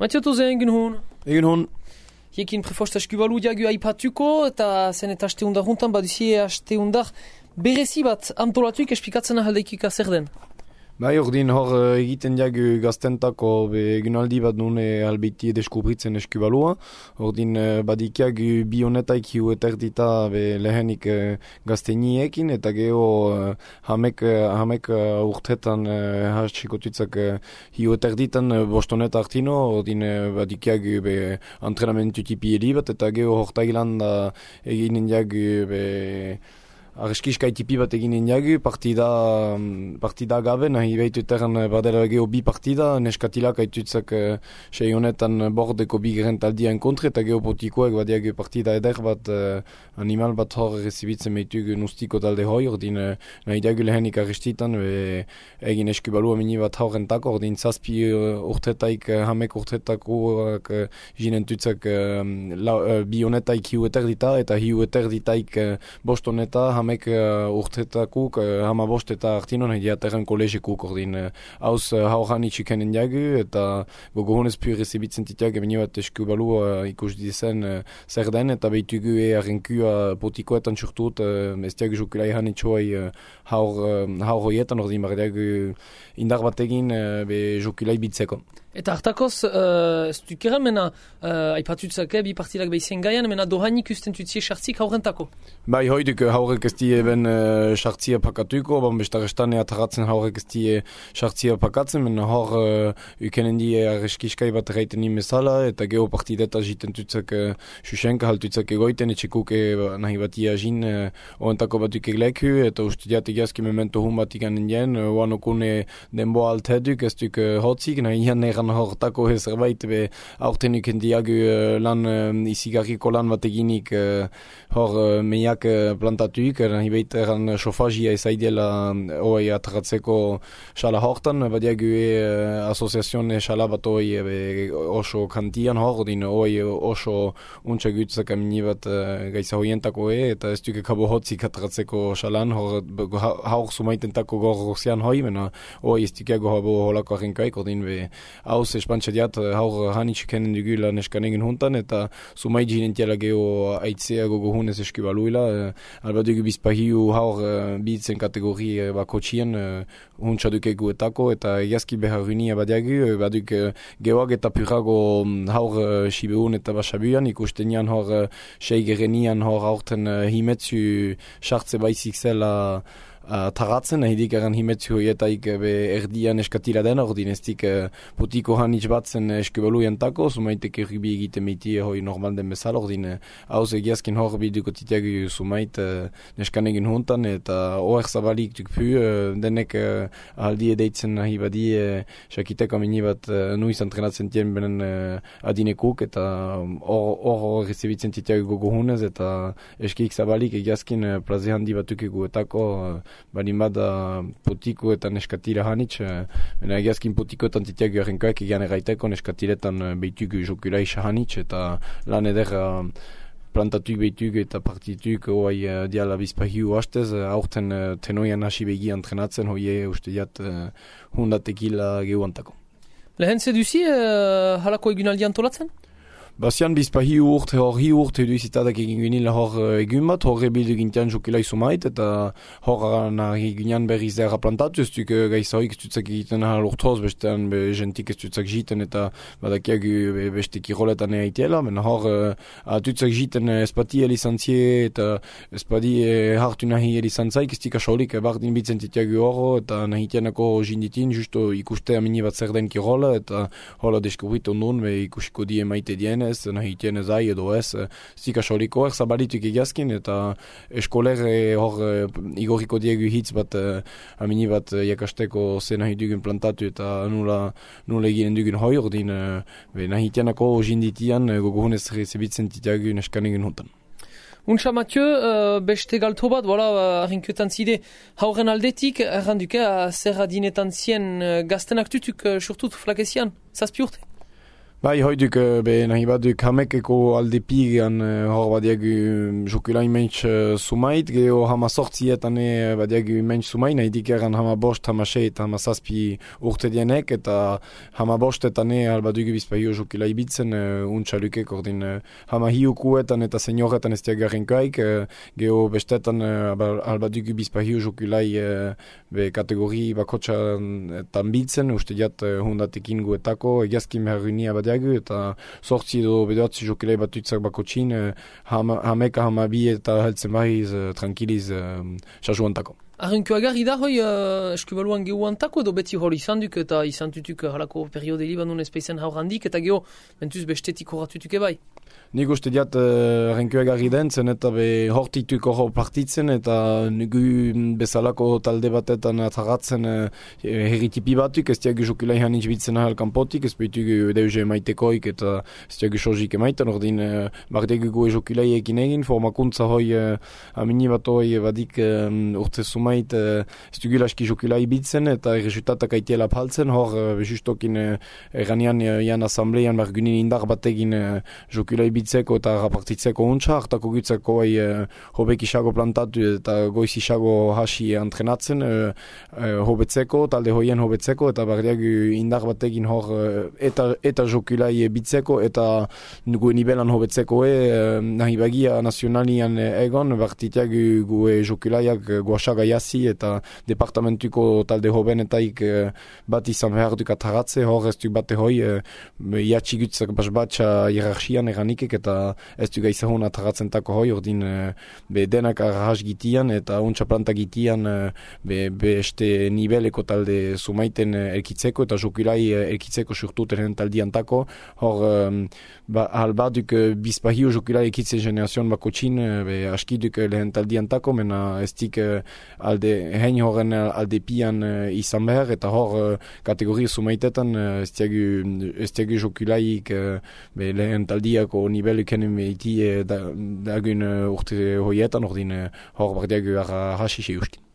Matio tozen egin hon. Egin hon. Hiekin prefosta eskubalu diagu aipatuko, eta zen eta aste undar juntan, baduzie aste undar berezi bat antolatuik esplikatzen ahaldeikik zer den. Bai, ordin hor egiten diagu gaztentako egunaldi bat nune albiti deskubritzen eskubalua. Ordin badikiagu bi honetaik hiu eterdita lehenik gazteniekin, eta geho hamek urtetan hatsikotutzak hiu eterditan bostoneta artino. Ordin badikiagu antrenamentu tipi bat, eta geho hortailan eginen diagu Arreskiskai tipi bat eginen jagu, partida gabe, nahi behituetan badela geho bi partida, neskatilak haitutzak sei honetan bordeko bi gerentaldian kontre, eta geho potikoek badiagu partida eder bat, animal bat hor rezibitzen behitugu nustiko talde hoi, ordin nahi diagu lehenik arrestitan, egin eskubalua mini bat horrentako, ordin zazpi urtetaik, hamek urtetakoak jinentutzak bi honetaik hiu eterdita, eta hiu eterditaik bostoneta, hamek urtetakuk, hama bost eta artino nahi diaterren kolegikuk ordin hauz hauran itxikenen jagu eta gogo honez pui rezibitzen titiak emeni bat eskubalu ikus dizen zer den eta behitugu arrenkua potikoetan txurtut ez diagu jokulai han itxoai haur hoietan ordin bar diagu indar bat egin jokulai bitzeko. Eta hartakoz, ez dukeren mena aipatutzak bi partidak behizien gaian, mena dohanik usten tutzie sartzik haurentako? Bai, hoiduk haurek ez die ben sartzia pakatuko, bestarestane ataratzen haurek ez die sartzia pakatzen, mena hor ukenen die arreskiskai bat reiten imezala, eta geho partideta jiten tutzak susenka haltutzak egoiten, etxekuk nahi bat iagin ohentako batuk egleku, eta ustudiat egiazki memento hun bat iganen dien, oanokune denbo alteduk, ez duk hotzik, nahi ian hortako zerbait aurtenik diagu lan izigarriko lan bat eginik hor meiak plantatuik, nahi behiteran sofazia ezaideela hoi atratzeko xala hortan, badiagu asoziazione xala bat hoi oso kantian hor, din hoi oso untsa gutzak amini bat gaisa hoientako eta ez duke kabo hotzik atratzeko xalan, haur sumaitentako gorrozian hoi, mena hoi ez dukeago habo holako arrenkaik, ordin hauz espantxadiat haur hanitz kenen dugula neskan egin huntan, eta sumai jinentiala geho aitzea gogo hunez eskubaluila, alba dugu bizpahiu haur bitzen kategori bakotxien huntxaduk eguetako, eta egiazki behar runia badiagu, baduk gehoak eta purago haur sibeun eta basabuan, ikusten jan hor sei gerenian hor haurten himetzu sartze baizik zela taratzen, nahidik eran himetzu hoietaik erdian eskatila den, ordin ez dik potiko hanitz batzen eskubalu jantako, sumaitek erribi egiten meiti hoi normal den bezala, ordin hauz egiazkin hor biduko titiagu sumait neskan egin huntan, eta oer zabalik duk pu, denek aldi edeitzen nahi badi, sakiteko amini bat nuiz entrenatzen tien benen adinekuk, eta hor rezibitzen titiagu gogo hunez, eta eskik zabalik egiazkin plaze handi batuk eguetako, balin bada potiko eta neskatira hanitz, mena egiazkin potikoetan titiagu arrenkoak egian erraiteko neskatiretan behitugu jokulai hanitz, eta lan eder plantatuik behitugu eta partituk hoai diala bizpahiu hastez, aurten tenoian hasi begi entrenatzen, hoie uste jat hundatekila gehuantako. Lehen zeduzi halako egunaldi antolatzen? Bazian bizpahiu urte hor hi urte duizitadak egin ginila hor egun bat, hor rebildu gintian jokelai sumait, eta hor nahi ginean berriz erra plantatu, ez duk gaisa hoik ez dutzak egiten ahal urtoz, bestean jentik ez dutzak jiten, eta badakiak beste kiroletan eaitela, men hor dutzak jiten espati elizantzie, eta espati hartu nahi elizantzaik, ez tika solik bardin bitzen titiagu hor, eta nahi tianako jinditin, justo ikuste amini bat zer den kirola, eta hola deskubritu ondun, ikusiko die maite dien, nahi tien ezai edo ez, zika soliko zabalituk egiazkin, eta eskoler hor igoriko diegu hitz bat amini bat jakasteko ze nahi dugun plantatu eta nula eginen dugun hoi, ordin nahi tianako jinditian gogo hunez rezibitzen titiagu neskan egin huntan. Untsa Mathieu, beste galto bat, arrinkuetan zide hauren aldetik, erranduke zer adinetan zien gaztenak tutuk surtut flakezian, zazpi urte? Bai, hoiduk nahi baduk hamekeko alde pigean hor badiagu jokulai mentx sumait, geho hama sortzietan badiagu mentx sumait, nahi dikeran hama bost, hama seit, hama zazpi urte dienek, eta hama bostetan albadugu bizpahio jokulai bitzen, untxalukek ordin hama hiukuetan eta senioretan ez diagarrenkaik, geho bestetan albadugu bizpahio jokulai kategori bakotxan bitzen, uste diat hundatik inguetako, egiazkin beharrunia eta sortzi edo bedoatzi jokelai batuitzak bakotxin, hameka hamabi eta heltzen bahiz tranquiliz sasuantako. Arrenko agarri da hoi eskubaluan gehuantako edo beti hori izan duk eta izan tutuk halako periode libanon espeizen haur handik eta geho mentuz bestetik horatutuk ebai? Nik uste diat arrenko agarri den, zen eta hortituk hor partitzen eta nugu bezalako talde batetan atzaratzen herritipi batuk, ez diagu jokulai hanitz bitzen ahal kanpotik, ez behitu deuze maitekoik eta ez diagu sozik emaiten, ordin bardegu goe jokulai ekin egin, formakuntza hoi amini bat hoi badik urte sumait ez dugulaski jokulai bitzen eta resultatak aitiela paltzen, hor justokin eranian jan asambleian bargunin indar bategin jokulai bitzeko eta rapartitzeko untsa, hartako gutzeko hobek isago plantatu eta goiz isago hasi entrenatzen hobetzeko, talde hoien hobetzeko eta bardiagu indar bategin hor eta jokulai bitzeko eta nugu nivelan hobetzeko nahi bagia nazionalian egon, bartitiagu gue jokulaiak guasaga jasi eta departamentuko talde hobenetaik bat izan behar duk ataratze, hor ez duk bate hoi jatsi gutzak basbatxa hierarchian eranikek eta ez duk gaizahun ataratzen tako hoi, ordin denak arrahas gitian eta untsa planta gitian beste niveleko talde sumaiten elkitzeko eta jokulai elkitzeko surtuten taldian tako, hor albaduk bizpahio jokulai elkitze generazion bakotxin askiduk lehen taldian tako, mena ez dik alde hein horren alde pian izan behar eta hor kategoria sumaitetan ez diagu jokulaik lehen taldiako nivelu kenen behiti dagun urte hoietan ordin hor bardiagu hasi ustin.